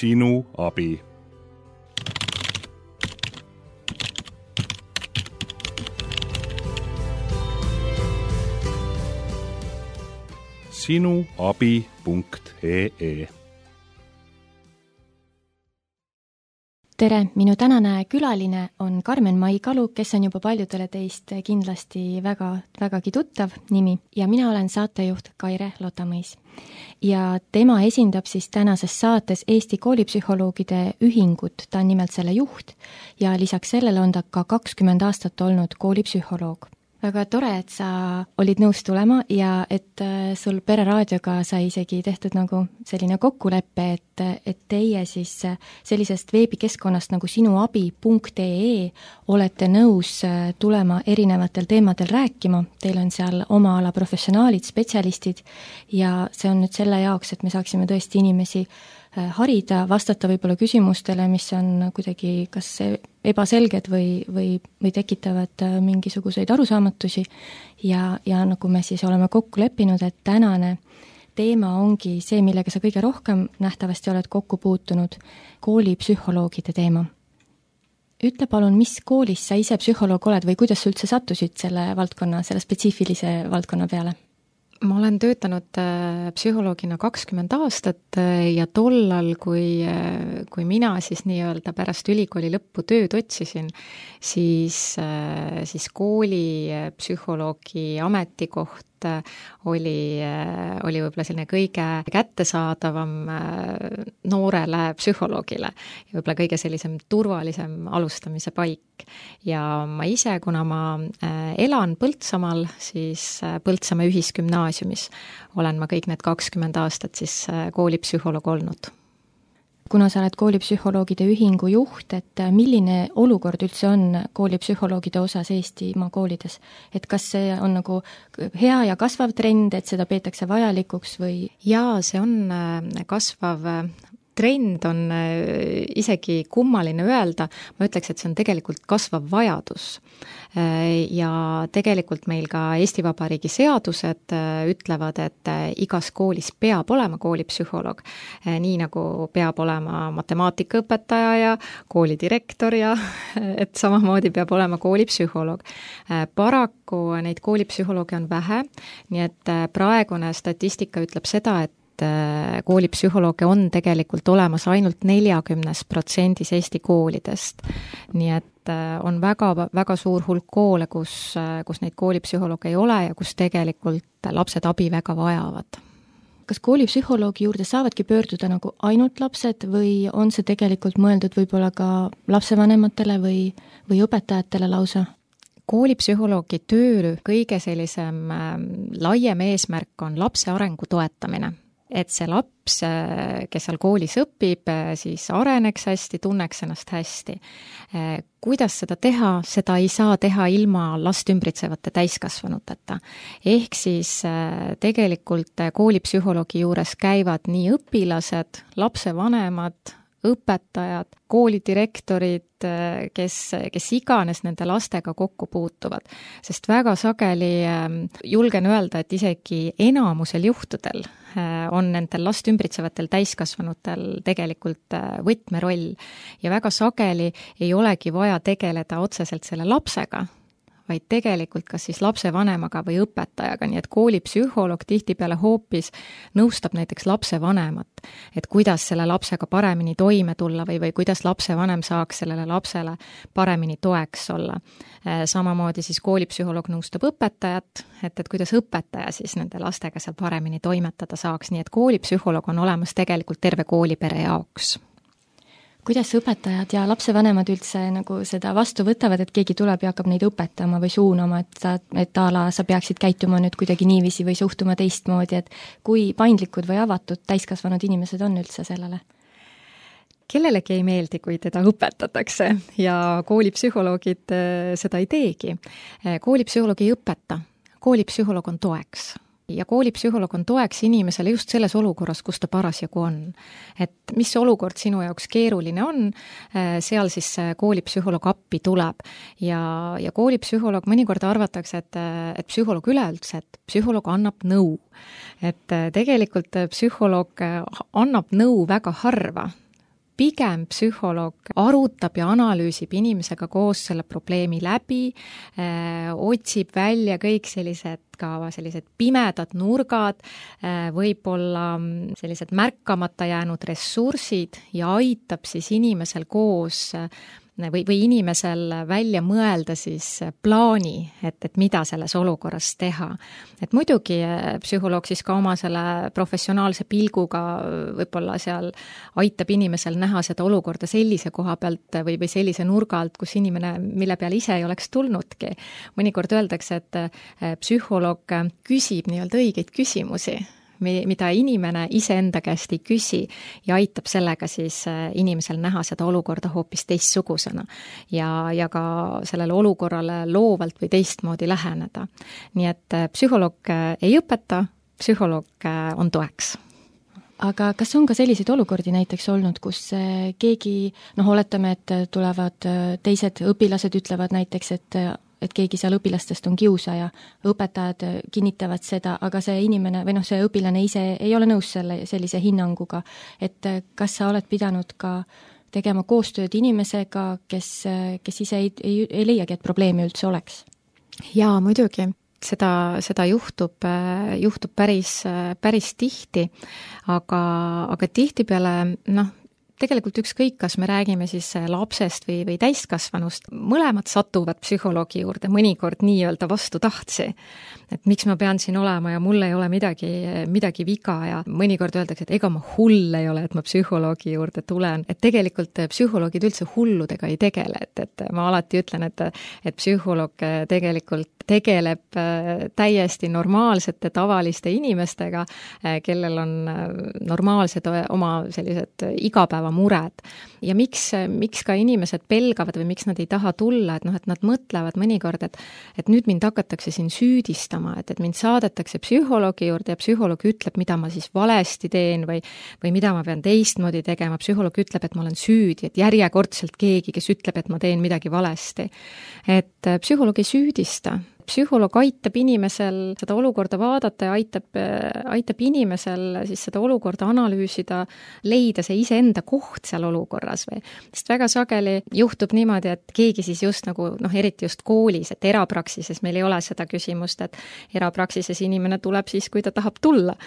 Sinu abi. sinuabi.ee. Tere, minu tänane külaline on Karmen Maikalu, kes on juba paljudele teist kindlasti vägagi tuttav nimi ja mina olen saatejuht Kaire Lotamõis. Ja tema esindab siis tänases saates Eesti koolipsühholoogide ühingut, ta on nimelt selle juht ja lisaks sellele on ta ka 20 aastat olnud koolipsühholoog. Väga tore, et sa olid nõus tulema ja et sul Pereraadioga sai isegi tehtud nagu selline kokkulepe, et teie siis sellisest veebikeskkonnast nagu sinuabi.ee olete nõus tulema erinevatel teemadel rääkima. Teil on seal oma ala professionaalid, spetsialistid ja see on nüüd selle jaoks, et me saaksime tõesti inimesi harida, vastata võib-olla küsimustele, mis on kuidagi kas ebaselged või tekitavad mingisuguseid arusaamatusi ja nagu me siis oleme kokku leppinud, et tänane teema ongi see, millega sa kõige rohkem nähtavasti oled kokku puutunud, koolipsühholoogide teema. Ütle palun, mis koolis sa ise psühholoog oled või kuidas sa üldse sattusid selle spetsiifilise valdkonna peale? Ma olen töötanud psühholoogina 20 aastat ja tollal, kui mina siis nii-öelda pärast ülikooli lõppu tööd otsisin, siis kooli psühholoogi ametikoht oli võib-olla selline kõige kättesaadavam noorele psühholoogile ja võib-olla kõige sellisem turvalisem alustamise paik. Ja ma ise, kuna ma elan Põltsamaal, siis Põltsamaa ühisgümnaasiumis olen ma kõik need 20 aastat siis koolipsühholoog olnud. Kuna sa oled koolipsühholoogide ühingu juht, et milline olukord üldse on koolipsühholoogide osas Eestimaa koolides? Et kas see on nagu hea ja kasvav trend, et seda peetakse vajalikuks või? Jaa, see on kasvav trend, on isegi kummaline öelda, ma ütleks, et see on tegelikult kasvav vajadus. Ja tegelikult meil ka Eesti Vabariigi seadused ütlevad, et igas koolis peab olema koolipsühholoog, nii nagu peab olema matemaatikaõpetaja ja koolidirektor ja et samamoodi peab olema koolipsühholoog. Paraku neid koolipsühholooge on vähe, nii et praegune statistika ütleb seda, et koolipsühholooge on tegelikult olemas ainult 40% Eesti koolidest. Nii et on väga suur hulk koole, kus neid koolipsühholooge ei ole ja kus tegelikult lapsed abi väga vajavad. Kas koolipsühholoogi juurde saavadki pöörduda nagu ainult lapsed või on see tegelikult mõeldud võib-olla ka lapsevanematele või õpetajatele lausa? Koolipsühholoogi töö kõige sellisem laiem eesmärk on lapse arengu toetamine. Et see laps, kes seal koolis õpib, siis areneks hästi, tunneks ennast hästi. Kuidas seda teha? Seda ei saa teha ilma last ümbritsevate täiskasvanuteta. Ehk siis tegelikult koolipsühholoogi juures käivad nii õpilased, lapsevanemad, õpetajad, koolidirektorid, kes iganes nende lastega kokku puutuvad. Sest väga sageli julgen öelda, et isegi enamusel juhtudel on nendel last ümbritsevatel täiskasvanutel tegelikult võtmeroll ja väga sageli ei olegi vaja tegeleda otseselt selle lapsega, vaid tegelikult kas siis lapsevanemaga või õpetajaga, nii et koolipsühholoog tihtipeale hoopis nõustab näiteks lapsevanemat, et kuidas selle lapsega paremini toime tulla või kuidas lapsevanem saaks sellele lapsele paremini toeks olla. Samamoodi siis koolipsühholoog nõustab õpetajat, et kuidas õpetaja siis nende lastega seal paremini toimetada saaks, nii et koolipsühholoog on olemas tegelikult terve koolipere jaoks. Kuidas õpetajad ja lapsevanemad üldse nagu seda vastu võtavad, et keegi tuleb ja hakkab neid õpetama või suunama, et sa peaksid käituma nüüd kuidagi niiviisi või suhtuma teistmoodi, et kui paindlikud või avatud täiskasvanud inimesed on üldse sellele? Kellelegi ei meeldi, kui teda õpetatakse ja koolipsühholoogid seda ei teegi. Koolipsühholoog ei õpeta, koolipsühholoog on toeks. Ja koolipsühholoog on toeks inimesele just selles olukorras, kus ta parasjagu on. Et mis olukord sinu jaoks keeruline on, seal siis koolipsühholoog appi tuleb. Ja koolipsühholoog mõnikord arvatakse, et psühholoog üleüldse, et psühholoog annab nõu. Et tegelikult psühholoog annab nõu väga harva. pigem psühholoog arutab ja analüüsib inimesega koos selle probleemi läbi, otsib välja kõik sellised pimedad nurgad, võib-olla sellised märkamata jäänud ressursid ja aitab siis inimesel koos või inimesel välja mõelda siis plaani, et mida selles olukorras teha. Et muidugi psühholoog siis ka oma selle professionaalse pilguga võib-olla seal aitab inimesel näha seda olukorda sellise koha pealt või sellise nurga alt, kus inimene, mille peale ise ei oleks tulnudki. Mõnikord öeldakse, et psühholoog küsib nii-öelda õigeid küsimusi, mida inimene iseenda käest ei küsi ja aitab sellega siis inimesel näha seda olukorda hoopis teistsugusena ja ka sellele olukorrale loovalt või teistmoodi läheneda. Nii et psühholoog ei õpeta, psühholoog on toeks. Aga kas on ka selliseid olukordi näiteks olnud, kus keegi, oletame, et tulevad teised õpilased, ütlevad näiteks, et keegi seal õpilastest on kiusaja, õpetajad kinnitavad seda, aga see inimene või see õpilane ise ei ole nõus sellise hinnanguga, et kas sa oled pidanud ka tegema koostööd inimesega, kes ise ei leiagi, et probleemi üldse oleks? Jaa, muidugi. Seda juhtub päris tihti, aga tihtipeale, tegelikult ükskõik, kas me räägime siis lapsest või täiskasvanust, mõlemad satuvad psühholoogi juurde mõnikord nii-öelda vastu tahtsi. Et miks ma pean siin olema ja mul ei ole midagi viga ja mõnikord öeldakse, et ega ma hull ei ole, et ma psühholoogi juurde tulen. Et tegelikult psühholoogid üldse hulludega ei tegele, et ma alati ütlen, et psühholoog tegelikult tegeleb täiesti normaalsete tavaliste inimestega, kellel on normaalsed oma sellised igapäevamured. Ja miks ka inimesed pelgavad või miks nad ei taha tulla, et nad mõtlevad mõnikord, et nüüd mind hakatakse siin süüdistama, et mind saadetakse psühholoogi juurde ja psühholoog ütleb, mida ma siis valesti teen või mida ma pean teistmoodi tegema. Psühholoog ütleb, et ma olen süüdi, et järjekordselt keegi, kes ütleb, et ma teen midagi valesti. Et psühholoog ei süüdista. Psühholoog aitab inimesel seda olukorda vaadata ja aitab inimesel siis seda olukorda analüüsida, leida see iseenda koht seal olukorras või. Sest väga sageli juhtub niimoodi, et keegi siis just nagu, eriti just koolis, et erapraksises meil ei ole seda küsimust, et erapraksises inimene tuleb siis, kui ta tahab tulla.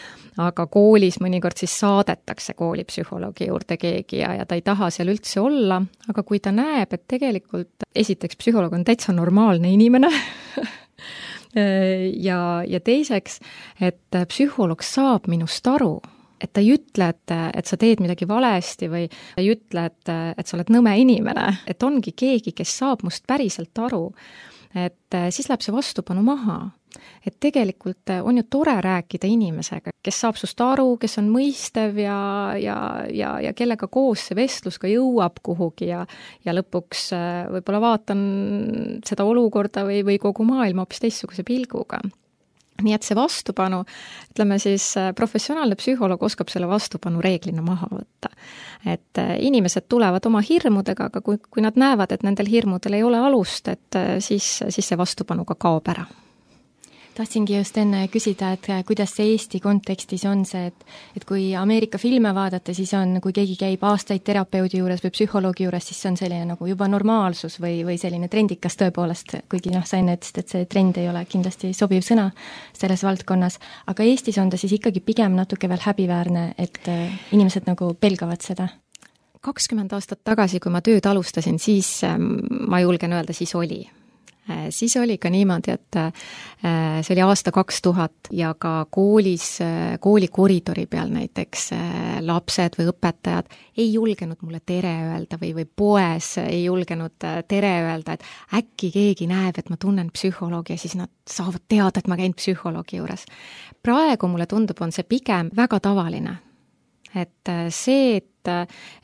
Aga koolis mõnikord siis saadetakse koolipsühholoogi juurde keegi ja ta ei taha seal üldse olla, aga kui ta näeb, et tegelikult esiteks psühholoog on täitsa normaalne inimene, ja teiseks, et psühholoog saab minust aru, et ta ei ütle, et sa teed midagi valesti või ei ütle, et sa oled nõme inimene, et ongi keegi, kes saab must päriselt aru, et siis läheb see vastupanu maha. Et tegelikult on ju tore rääkida inimesega, kes saab sust aru, kes on mõistev ja kellega koos see vestlus ka jõuab kuhugi ja lõpuks võib-olla vaatan seda olukorda või kogu maailma hoopis teistsuguse pilguga. Nii et see vastupanu, ütleme siis professionaalne psühholoog oskab selle vastupanu reeglina maha võtta. Et inimesed tulevad oma hirmudega, aga kui nad näevad, et nendel hirmudel ei ole alust, et siis see vastupanu ka kaob ära. Tahtsingi just enne küsida, et kuidas see Eesti kontekstis on see, et kui Ameerika filme vaadata, siis on, kui keegi käib aastaid terapeudi juures või psühholoogi juures, siis on selline nagu juba normaalsus või selline trendikas tõepoolest, kuigi sa enne ütlesid, et see trend ei ole kindlasti sobiv sõna selles valdkonnas, aga Eestis on ta siis ikkagi pigem natuke veel häbiväärne, et inimesed nagu pelgavad seda. 20 aastat tagasi, kui ma tööd alustasin, siis ma julgen öelda, siis oli. Siis oli ka niimoodi, et see oli aasta 2000 ja ka kooli koridori peal näiteks lapsed või õpetajad ei julgenud mulle tere öelda või poes ei julgenud tere öelda, et äkki keegi näeb, et ma tunnen psühholoogi ja siis nad saavad teada, et ma käin psühholoogi juures. Praegu mulle tundub, on see pigem väga tavaline. Et see,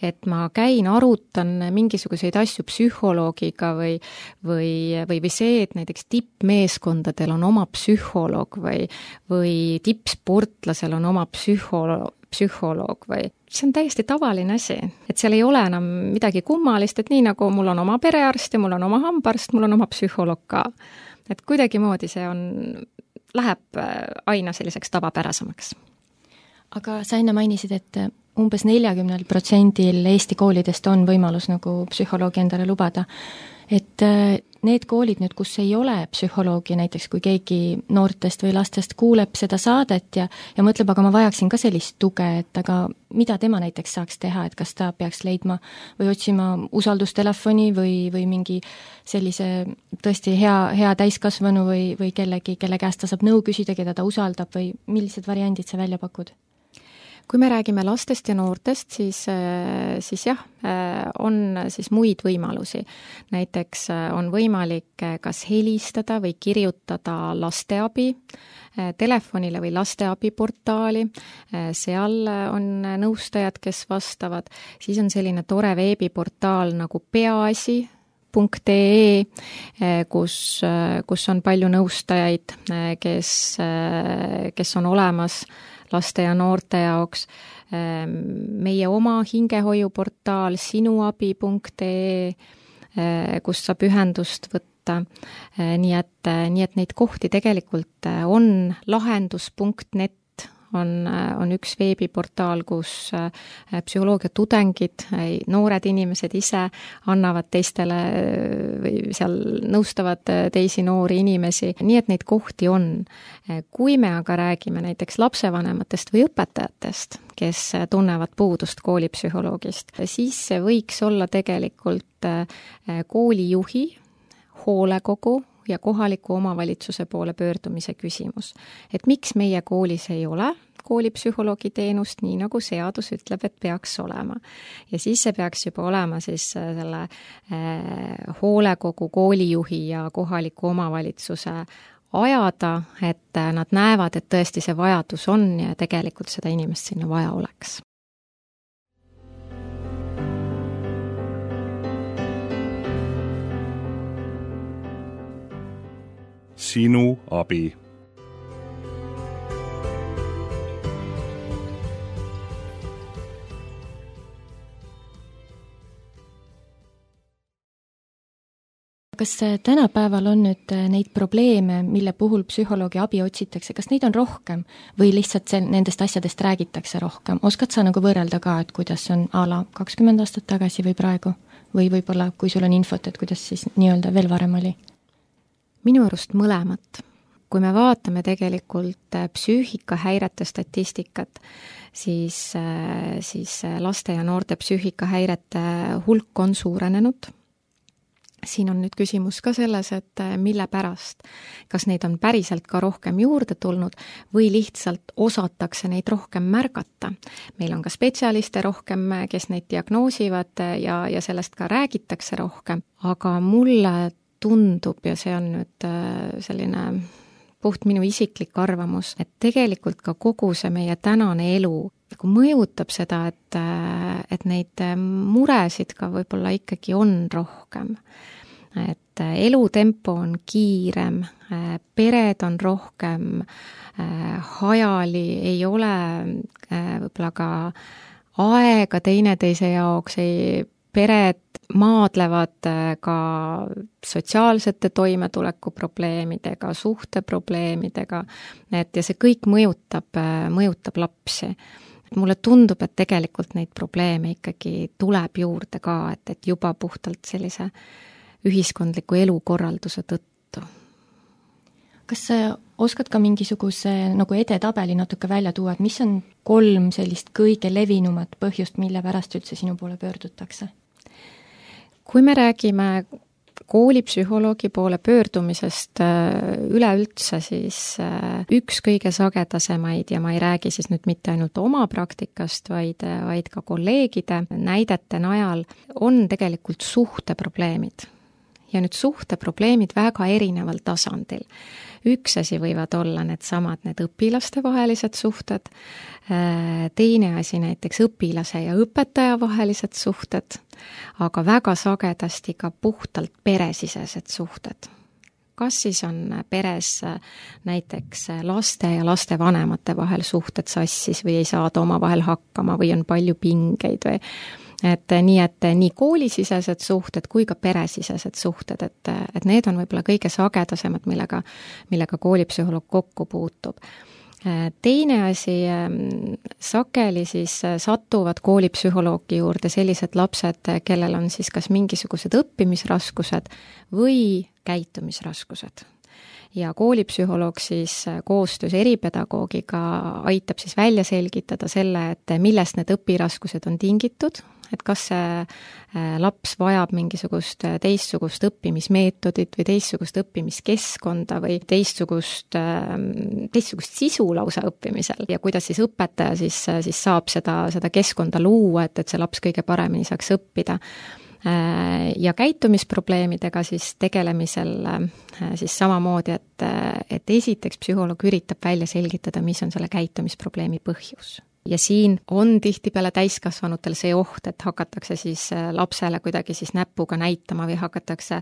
et ma käin, arutan mingisuguseid asju psühholoogiga või see, et näiteks tippmeeskondadel on oma psühholoog või tippsportlasel on oma psühholoog või see on täiesti tavaline asi, et seal ei ole enam midagi kummalist, et nii nagu mul on oma perearst ja mul on oma hambaarst, mul on oma psühholoog ka. Et kuidagimoodi see läheb aina selliseks tavapärasemaks. Aga sa enne mainisid, et umbes 40% Eesti koolidest on võimalus nagu psühholoogi endale lubada. Et need koolid nüüd, kus ei ole psühholoogi, näiteks kui keegi noortest või lastest kuuleb seda saadet ja mõtleb, aga ma vajaksin ka sellist tuge, et aga mida tema näiteks saaks teha, et kas ta peaks leidma või otsima usaldustelefoni või mingi sellise tõesti hea täiskasvanu või kellegi, kelle käest ta saab nõu küsida, keda ta usaldab või millised variandid sa välja pakud? Kui me räägime lastest ja noortest, siis jah, on siis muid võimalusi. Näiteks on võimalik kas helistada või kirjutada lasteabi telefonile või lasteabiportaali, seal on nõustajad, kes vastavad, siis on selline tore veebiportaal nagu peaasi.ee, kus on palju nõustajaid, kes on olemas laste ja noorte jaoks. Meie oma hingehoiuportaal sinuabi.ee, kus saab ühendust võtta. Nii et neid kohti tegelikult on. Lahendus.net on üks veebiportaal, kus psühholoogia tudengid, noored inimesed ise annavad teistele või seal nõustavad teisi noori inimesi, nii et neid kohti on. Kui me aga räägime näiteks lapsevanematest või õpetajatest, kes tunnevad puudust koolipsühholoogist, siis see võiks olla tegelikult koolijuhi, hoolekogu ja kohaliku omavalitsuse poole pöördumise küsimus. Et miks meie koolis ei ole koolipsühholoogi teenust, nii nagu seadus ütleb, et peaks olema. Ja siis see peaks juba olema siis selle hoolekogu, koolijuhi ja kohaliku omavalitsuse ajada, et nad näevad, et tõesti see vajadus on ja tegelikult seda inimest sinna vaja oleks. Sinu abi. Kas tänapäeval on nüüd neid probleeme, mille puhul psühholoogi abi otsitakse, kas neid on rohkem või lihtsalt nendest asjadest räägitakse rohkem? Oskad sa nagu võrrelda ka, et kuidas on a la 20 aastat tagasi või praegu? Või võib-olla, kui sul on infot, et kuidas siis nii-öelda veel varem oli? Minu arust mõlemat. Kui me vaatame tegelikult psüühikahäirete statistikat, siis laste ja noorte psüühikahäirete hulk on suurenenud. Siin on nüüd küsimus ka selles, et mille pärast. Kas neid on päriselt ka rohkem juurde tulnud või lihtsalt osatakse neid rohkem märgata. Meil on ka spetsialiste rohkem, kes neid diagnoosivad ja sellest ka räägitakse rohkem, aga mulle tundub, ja see on nüüd selline puht minu isiklik arvamus, et tegelikult ka kogu see meie tänane elu nagu mõjutab seda, et neid muresid ka võib-olla ikkagi on rohkem. Et elutempo on kiirem, pered on rohkem hajali, ei ole võib-olla ka aega teineteise jaoks, pered maadlevad ka sotsiaalsete toimetulekuprobleemidega, suhteprobleemidega, ja see kõik mõjutab lapsi. Mulle tundub, et tegelikult neid probleeme ikkagi tuleb juurde ka, et juba puhtalt sellise ühiskondliku elukorralduse tõttu. Kas sa oskad ka mingisuguse nagu edetabeli natuke välja tuua, et mis on 3 sellist kõige levinumat põhjust, mille pärast üldse sinu poole pöördutakse? Kui me räägime koolipsühholoogi poole pöördumisest üleüldse, siis üks kõige sagedasemaid, ja ma ei räägi siis nüüd mitte ainult oma praktikast, vaid ka kolleegide näidete najal, on tegelikult suhteprobleemid. Ja nüüd suhteprobleemid väga erineval tasandil. Üks asi võivad olla need õpilaste vahelised suhted, teine asi näiteks õpilase ja õpetaja vahelised suhted, aga väga sagedasti ka puhtalt peresisesed suhted. Kas siis on peres näiteks laste ja lastevanemate vahel suhted sassis või ei saada omavahel hakkama või on palju pingeid või et nii koolisisesed suhted kui ka peresisesed suhted, et need on võib-olla kõige sagedasemad, millega koolipsühholoog kokku puutub. Teine asi, sageli siis satuvad koolipsühholoogi juurde sellised lapsed, kellel on siis kas mingisugused õppimisraskused või käitumisraskused. Ja koolipsühholoog siis koostöös eripedagoogiga aitab siis välja selgitada selle, et millest need õpiraskused on tingitud, et kas see laps vajab mingisugust teistsugust õppimismeetodit või teistsugust õppimiskeskkonda või teistsugust sisu lausa õppimisel ja kuidas siis õpetaja siis saab seda keskkonda luua, et see laps kõige paremini saaks õppida. Ja käitumisprobleemidega siis tegelemisel siis samamoodi, et esiteks psühholoog üritab välja selgitada, mis on selle käitumisprobleemi põhjus. Ja siin on tihtipeale täiskasvanutel see oht, et hakatakse siis lapsele kuidagi siis näpuga näitama või hakatakse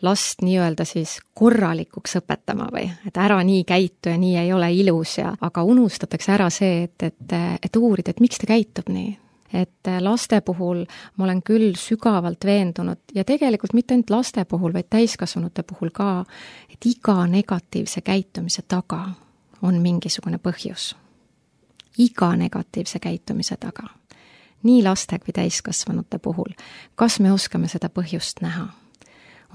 last nii-öelda siis korralikuks õpetama või et ära nii käitu ja nii ei ole ilus aga unustatakse ära see, et uurida, et miks ta käitub nii. Et laste puhul ma olen küll sügavalt veendunud ja tegelikult mitte ainult laste puhul, vaid täiskasvanute puhul ka, et iga negatiivse käitumise taga on mingisugune põhjus. Iga negatiivse käitumise taga. Nii laste kui täiskasvanute puhul. Kas me oskame seda põhjust näha?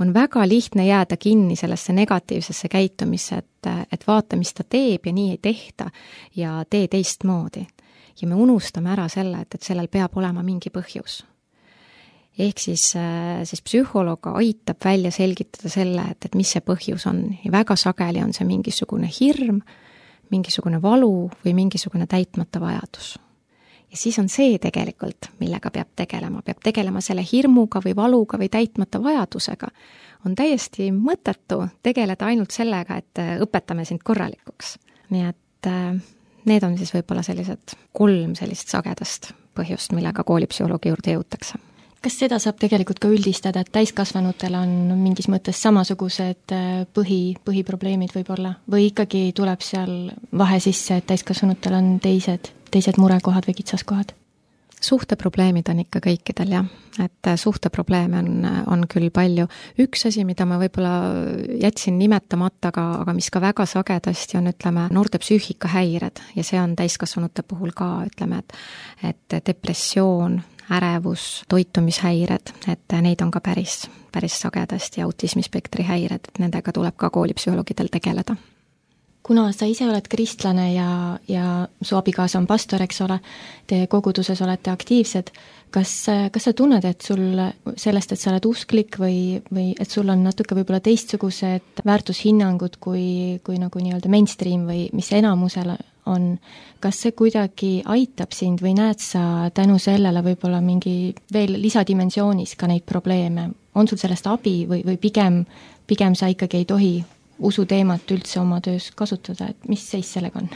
On väga lihtne jääda kinni sellesse negatiivsesse käitumisse, et vaata, mis ta teeb ja nii ei tehta ja tee teistmoodi. Ja me unustame ära selle, et sellel peab olema mingi põhjus. Ehk siis psühholoog aitab välja selgitada selle, et mis see põhjus on. Ja väga sageli on see mingisugune hirm, mingisugune valu või mingisugune täitmata vajadus. Ja siis on see tegelikult, millega peab tegelema selle hirmuga või valuga või täitmata vajadusega. On täiesti mõttetu tegeleda ainult sellega, et õpetame sind korralikuks. Nii et need on siis võib-olla sellised 3 sellist sagedast põhjust, millega koolipsühholoogi juurde jõutakse. Kas seda saab tegelikult ka üldistada, et täiskasvanutel on mingis mõttes samasugused põhiprobleemid võib-olla? Või ikkagi tuleb seal vahe sisse, et täiskasvanutel on teised murekohad või kitsaskohad? Suhteprobleemid on ikka kõikidel, jah. Et suhteprobleeme on küll palju. Üks asi, mida ma võib-olla jätsin nimetamata, aga mis ka väga sagedasti on, ütleme, noorte psüühikahäired ja see on täiskasvanute puhul ka, ütleme, et depressioon, ärevus, toitumishäired, et neid on ka päris sagedasti ja autismispektri häired, et nendega tuleb ka koolipsühholoogidel tegeleda. Kuna sa ise oled kristlane ja su abikaasa on pastor, eks ole, te koguduses olete aktiivsed, kas sa tunned, et sul sellest, et sa oled usklik või et sul on natuke võib-olla teistsugused väärtushinnangud kui nagu nii-öelda mainstream või mis enamusel on, kas see kuidagi aitab sind või näed sa tänu sellele võib-olla mingi veel lisadimensioonis ka neid probleeme? On sul sellest abi või pigem sa ikkagi ei tohi usuteemat üldse oma töös kasutada, et mis seis sellega on?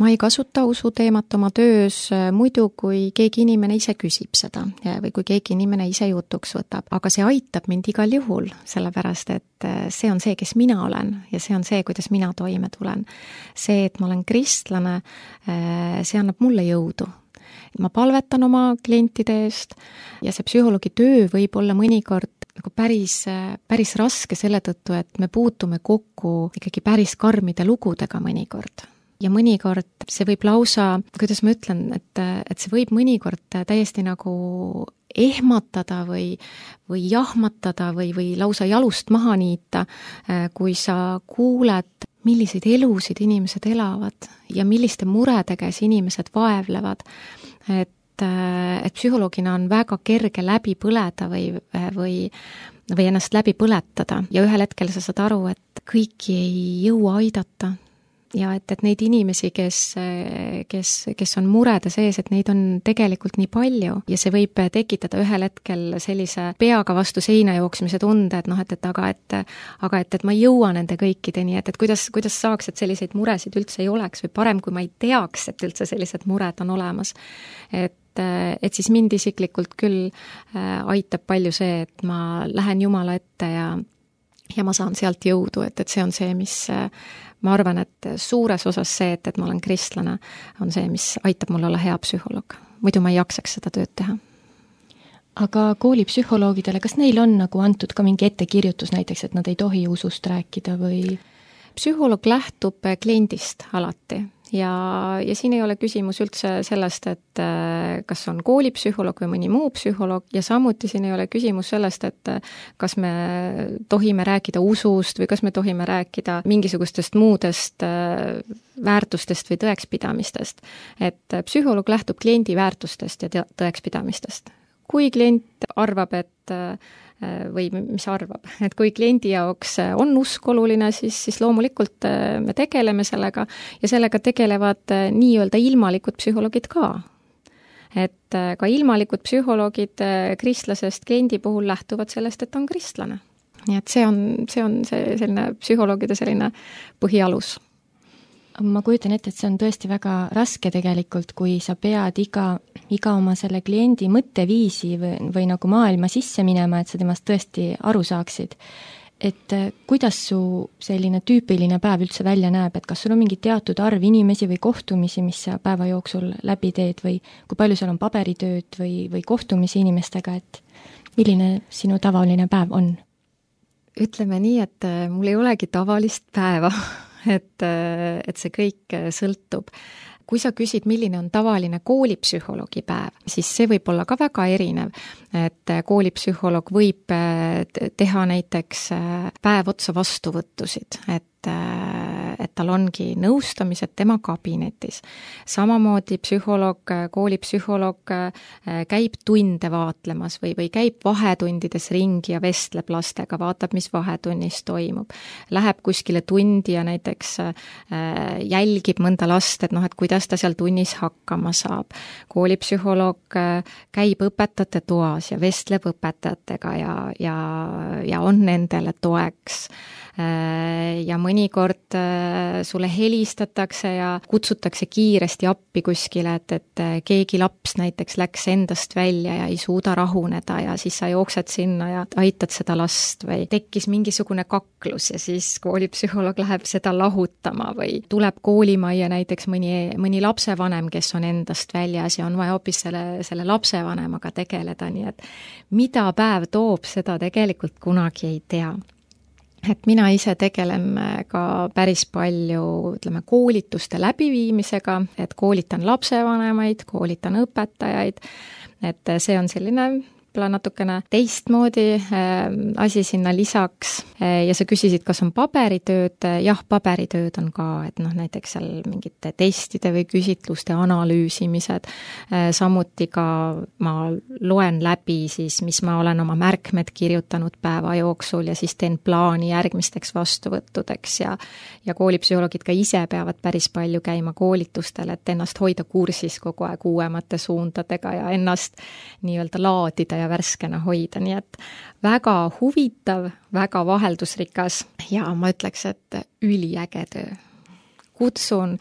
Ma ei kasuta usuteemat oma töös muidu, kui keegi inimene ise küsib seda või kui keegi inimene ise jutuks võtab, aga see aitab mind igal juhul, sellepärast et see on see, kes mina olen ja see on see, kuidas mina toime tulen. See, et ma olen kristlane, see annab mulle jõudu. Ma palvetan oma klientide eest ja see psühholoogi töö võib olla mõnikord nagu päris raske selle tõttu, et me puutume kokku ikkagi päris karmide lugudega mõnikord. Ja mõnikord see võib lausa, kuidas ma ütlen, et see võib mõnikord täiesti nagu ehmatada või jahmatada või lausa jalust maha niita, kui sa kuuled, milliseid elusid inimesed elavad ja milliste muredega inimesed vaevlevad, et psühholoogina on väga kerge läbi põleda või ennast läbi põletada ja ühel hetkel sa saad aru, et kõiki ei jõua aidata ja et neid inimesi, kes on murede sees, et neid on tegelikult nii palju ja see võib tekitada ühel hetkel sellise peaga vastu seina jooksmise tunde, et aga ma ei jõua nende kõikideni, et kuidas saaks, et selliseid muresid üldse ei oleks või parem, kui ma ei teaks, et üldse sellised mured on olemas. Et siis mind isiklikult küll aitab palju see, et ma lähen Jumala ette ja ma saan sealt jõudu, et see on see, mis ma arvan, et suures osas see, et ma olen kristlane, on see, mis aitab mul olla hea psühholoog. Muidu ma ei jaksaks seda tööd teha. Aga koolipsühholoogidele, kas neil on nagu antud ka mingi ettekirjutus näiteks, et nad ei tohi usust rääkida või? Psühholoog lähtub kliendist alati ja siin ei ole küsimus üldse sellest, et kas on koolipsühholoog või mõni muu psühholoog ja samuti siin ei ole küsimus sellest, et kas me tohime rääkida usust või kas me tohime rääkida mingisugustest muudest väärtustest või tõekspidamistest. Et psühholoog lähtub kliendi väärtustest ja tõekspidamistest. Kui klient arvab, või mis arvab, et kui kliendi jaoks on usk oluline, siis loomulikult me tegeleme sellega ja sellega tegelevad nii-öelda ilmalikud psühholoogid ka. Et ka ilmalikud psühholoogid kristlasest kliendi puhul lähtuvad sellest, et on kristlane. Nii et see on selline psühholoogide selline põhialus. Ma kujutan ette, et see on tõesti väga raske tegelikult, kui sa pead iga oma selle kliendi mõtteviisi või nagu maailma sisse minema, et sa temast tõesti aru saaksid. Et kuidas su selline tüüpiline päev üldse välja näeb, et kas sul on mingi teatud arv inimesi või kohtumisi, mis sa päeva jooksul läbi teed või kui palju seal on paberitööd või kohtumisi inimestega, et milline sinu tavaline päev on? Ütleme nii, et mul ei olegi tavalist päeva. Et see kõik sõltub. Kui sa küsid, milline on tavaline koolipsühholoogi päev, siis see võib olla ka väga erinev. Et koolipsühholoog võib teha näiteks päev otsa vastuvõttusid, et tal ongi nõustamised tema kabinetis. Samamoodi koolipsühholoog käib tunde vaatlemas või käib vahetundides ringi ja vestleb lastega, vaatab, mis vahetunnis toimub. Läheb kuskile tundi ja näiteks jälgib mõnda last, et kuidas ta seal tunnis hakkama saab. Koolipsühholoog käib õpetajate toas ja vestleb õpetajatega ja on nendele toeks. Ja mõnikord sulle helistatakse ja kutsutakse kiiresti appi kuskile, et keegi laps näiteks läks endast välja ja ei suuda rahuneda ja siis sa jooksed sinna ja aitad seda last või tekkis mingisugune kaklus ja siis koolipsühholoog läheb seda lahutama või tuleb koolimajja näiteks mõni lapsevanem, kes on endast väljas ja on vaja hoopis selle lapsevanemaga tegeleda, nii et mida päev toob, seda tegelikult kunagi ei tea. Et mina ise tegelen ka päris palju, koolituste läbiviimisega, et koolitan lapsevanemaid, koolitan õpetajaid, et see on selline natukene teistmoodi asi sinna lisaks ja sa küsisid, kas on paberitööd, jah, paberitööd on ka, et näiteks seal mingite testide või küsitluste analüüsimised, samuti ka ma loen läbi siis, mis ma olen oma märkmed kirjutanud päeva jooksul ja siis teen plaani järgmisteks vastuvõttudeks ja koolipsühholoogid ka ise peavad päris palju käima koolitustel, et ennast hoida kursis kogu aeg uuemate suundadega ja ennast nii-öelda laadida ja värskena hoida, nii et väga huvitav, väga vaheldusrikas ja ma ütleks, et üliäge töö. Kutsun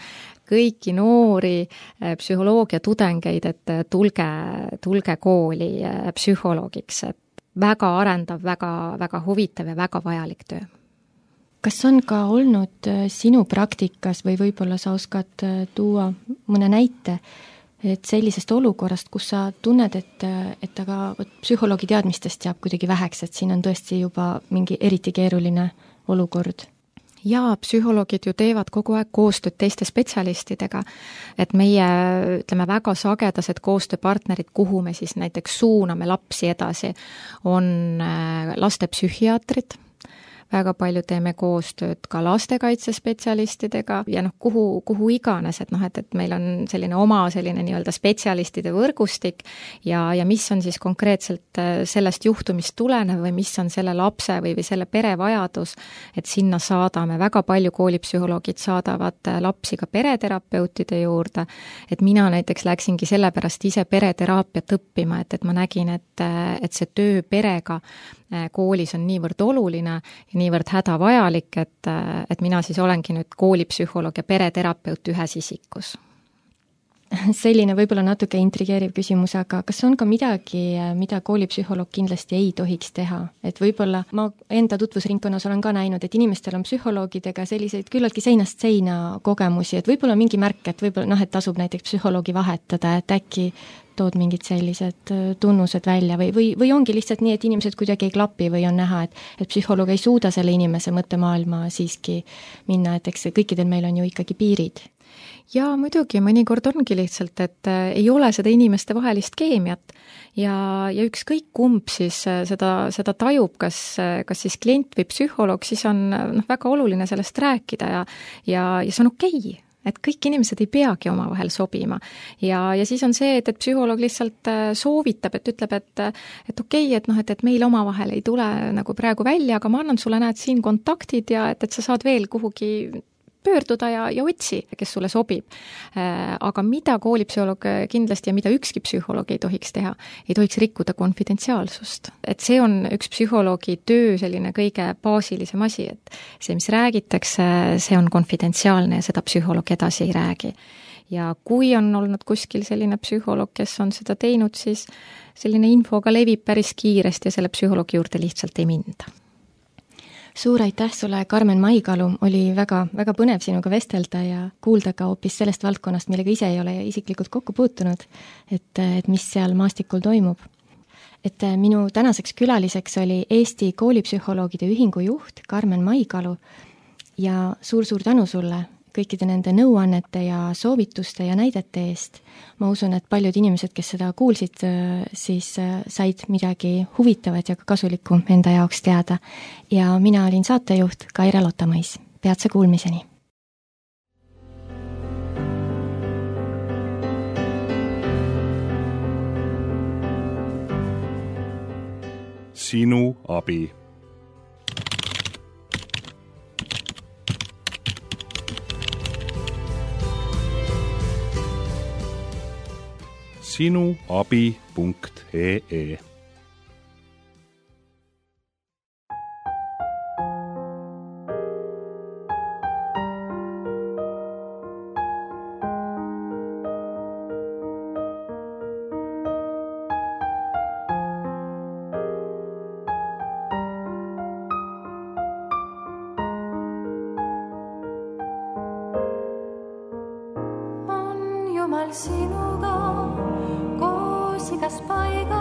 kõiki noori psühholoogia tudengeid, et tulge kooli psühholoogiks, et väga arendav, väga huvitav ja väga vajalik töö. Kas on ka olnud sinu praktikas või võib-olla sa oskad tuua mõne näite, et sellisest olukorrast, kus sa tunned, et aga psühholoogi teadmistest jääb kuidagi väheks, et siin on tõesti juba mingi eriti keeruline olukord? Jaa, psühholoogid ju teevad kogu aeg koostööd teiste spetsialistidega, et meie, väga sagedased koostööpartnerid, kuhu me siis näiteks suuname lapsi edasi, on lastepsühhiaatrid, väga palju teeme koostööd ka lastekaitsespetsialistidega ja kuhu iganes, et meil on selline oma nii-öelda spetsialistide võrgustik ja mis on siis konkreetselt sellest juhtumist tulenev või mis on selle lapse või selle pere vajadus, et sinna saadame, väga palju koolipsühholoogid saadavad lapsi ka pereterapeutide juurde, et mina näiteks läksingi sellepärast ise pereteraapiat õppima, et ma nägin, et see töö perega koolis on niivõrd oluline ja niivõrd hädavajalik, et mina siis olengi nüüd koolipsühholoog ja pereterapeut ühes isikus. Selline võib-olla natuke intrigeeriv küsimus, aga kas on ka midagi, mida koolipsühholoog kindlasti ei tohiks teha? Et võib-olla ma enda tutvusringkonnas olen ka näinud, et inimestel on psühholoogidega selliseid küllaltki seinast seina kogemusi, et võib-olla mingi märk, et võib-olla et tasub näiteks psühholoogi vahetada, et äkki tood mingid sellised tunnused välja või ongi lihtsalt nii, et inimesed kuidagi ei klapi või on näha, et psühholoog ei suuda selle inimese mõttemaailma siiski minna, et eks kõikidel meil on ju ikkagi piirid. ja muidugi mõnikord ongi lihtsalt, et ei ole seda inimeste vahelist keemiat ja ükskõik kumb siis seda tajub, kas siis klient või psühholoog, siis on väga oluline sellest rääkida ja see on okei. Et kõik inimesed ei peagi omavahel sobima. Ja siis on see, et psühholoog lihtsalt soovitab, et ütleb, et okei, et meil omavahel ei tule nagu praegu välja, aga ma annan sulle, näed, siin kontaktid ja et sa saad veel kuhugi pöörduda ja otsi, kes sulle sobib. Aga mida koolipsühholoog kindlasti ja mida ükski psühholoog ei tohiks teha, ei tohiks rikkuda konfidentsiaalsust. Et see on üks psühholoogi töö selline kõige baasilisem asi, et see, mis räägitakse, see on konfidentsiaalne ja seda psühholoog edasi ei räägi. Ja kui on olnud kuskil selline psühholoog, kes on seda teinud, siis selline info ka levib päris kiiresti ja selle psühholoogi juurde lihtsalt ei minda. Suur aitäh sulle, Karmen Maikalu, oli väga, väga põnev sinuga vestelda ja kuulda ka hoopis sellest valdkonnast, millega ise ei ole isiklikult kokku puutunud, et mis seal maastikul toimub. Et minu tänaseks külaliseks oli Eesti koolipsühholoogide ühingu juht Karmen Maikalu ja suur-suur tänu sulle kõikide nende nõuannete ja soovituste ja näidete eest. Ma usun, et paljud inimesed, kes seda kuulsid, siis said midagi huvitavat ja ka kasulikku enda jaoks teada. Ja mina olin saatejuht Kaire Lotamõis. Peatse kuulmiseni! Sinu abi. sinuabi.ee Jumal sinuga koos igas paigas.